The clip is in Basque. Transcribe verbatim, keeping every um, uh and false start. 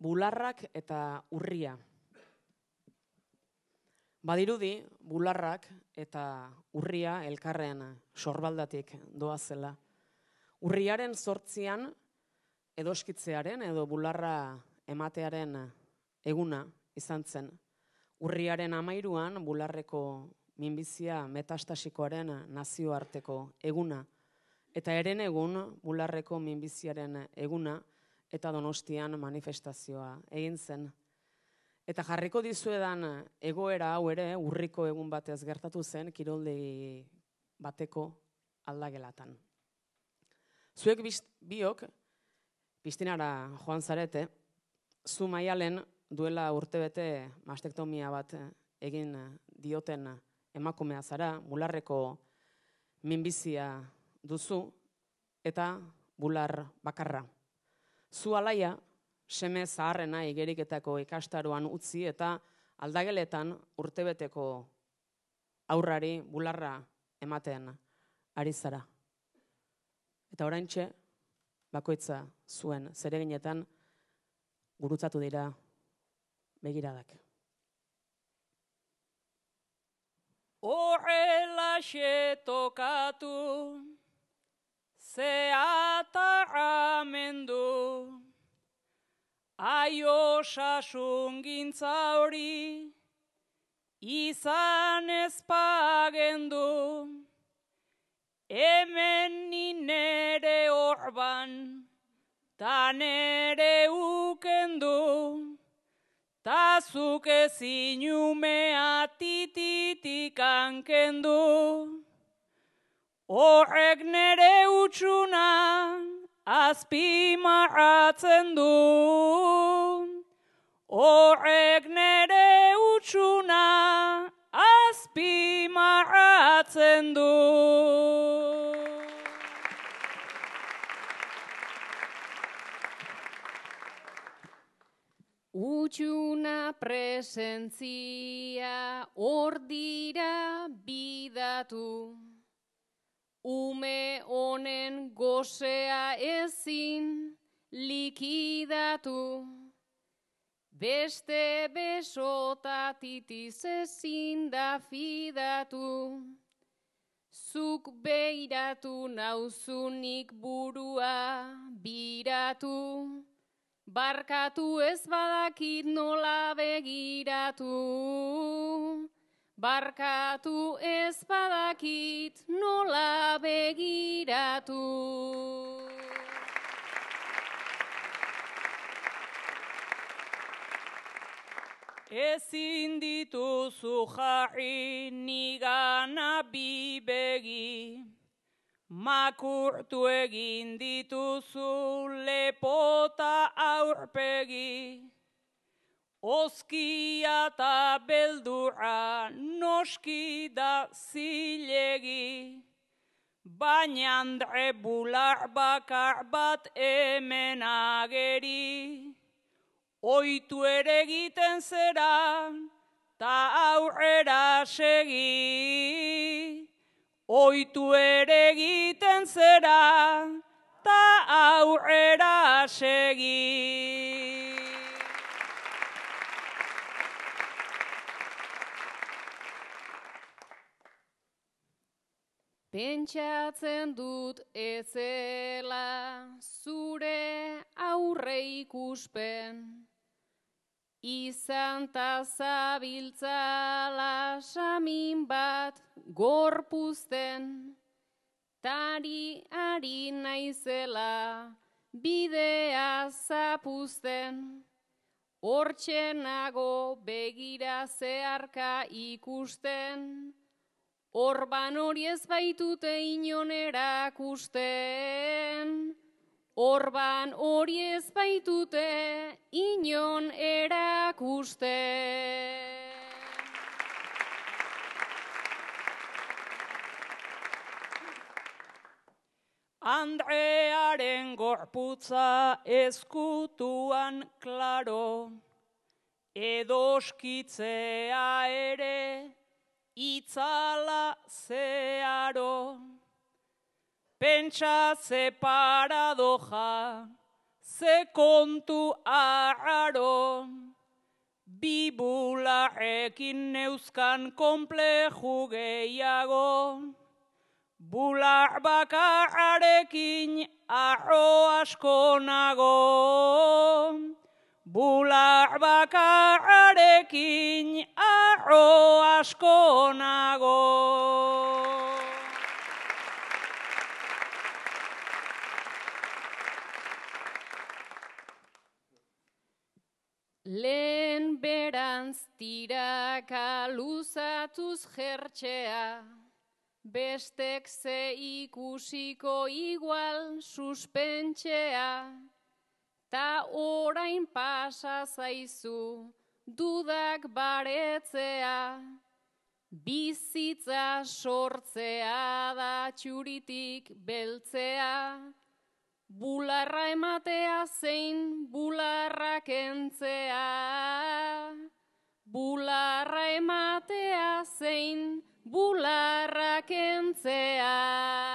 bularrak eta urria. Badirudi, bularrak eta urria elkarren sorbaldatik doazela. Urriaren zortzian edoskitzearen edo bularra ematearen eguna izan zen. Urriaren amairuan bularreko minbizia metastasikoaren nazioarteko eguna. Eta eren egun bularreko minbiziaren eguna eta Donostian manifestazioa egin zen. Eta jarriko dizuedan egoera hau ere urriko egun batez gertatu zen kiroldegi bateko aldagelatan. Zuek biok Pistinara joan zarete, zu Maialen duela urtebete mastektomia bat egin dioten emakumea zara, bularreko minbizia duzu eta bular bakarra. Zu alaia, seme zaharrena igeriketako ikastaroan utzi eta aldageletan urtebeteko aurrari bularra ematen ari zara. Eta oraintxe, bakoitza zuen zereginetan gurutzatu dira begiradak. Horrelaxe tokatu, zeatarramendu, aio sasungintza hori, izan ezpagendu, hemen nire orban, ta nere ukendu, ta zuk ezin umea tititik hankendu. Horrek nere utxuna azpimarratzen du. Horrek nere utxuna azpimarratzen du. Utxuna presentzia hor dira bidatu, ume honen gozea ezin likidatu, beste besotatitis ezin da fidatu, zuk beiratu nauzunik burua biratu, barkatu ez badakit nola begiratu, barkatu ez badakit nola begiratu. Ezin dituzu jarri nigana bi begi, makurtu egin dituzu lepota aurpegi, oskia eta beldurra noski da zilegi, baina andre bular bakar bat hemen ageri, oitu ere egiten zera, ta aurrera segi. Oitu ere egiten zera, ta aurrera segi. Pentsatzen dut ezela zure aurre ikuspen, izan ta zabiltzala samin bat gorpuzten, tari ari naizela bidea zapuzten, hortxe nago begira zeharka ikusten, orban hori ez baitute inon erakusten, orban hori ez baitute inon erakusten. Andrearen gorputza ezkutuan klaro, edoskitzea ere itzala zeharo. Pentsa ze paradoja, ze kontu arraro, bi bularrekin neuzkan konpleju gehiago, bular bakarrarekin arro asko nago, bular bakarrarekin arro asko nago. Lehen berantz tiraka luzatuz jertxea, bestek ze ikusiko igual suspentxea, ta orain pasa zaizu dudak baretzea, bizitza sortzea da txuritik beltzea, bularra ematea zein bularra kentzea, bularra ematea zein bularra kentzea.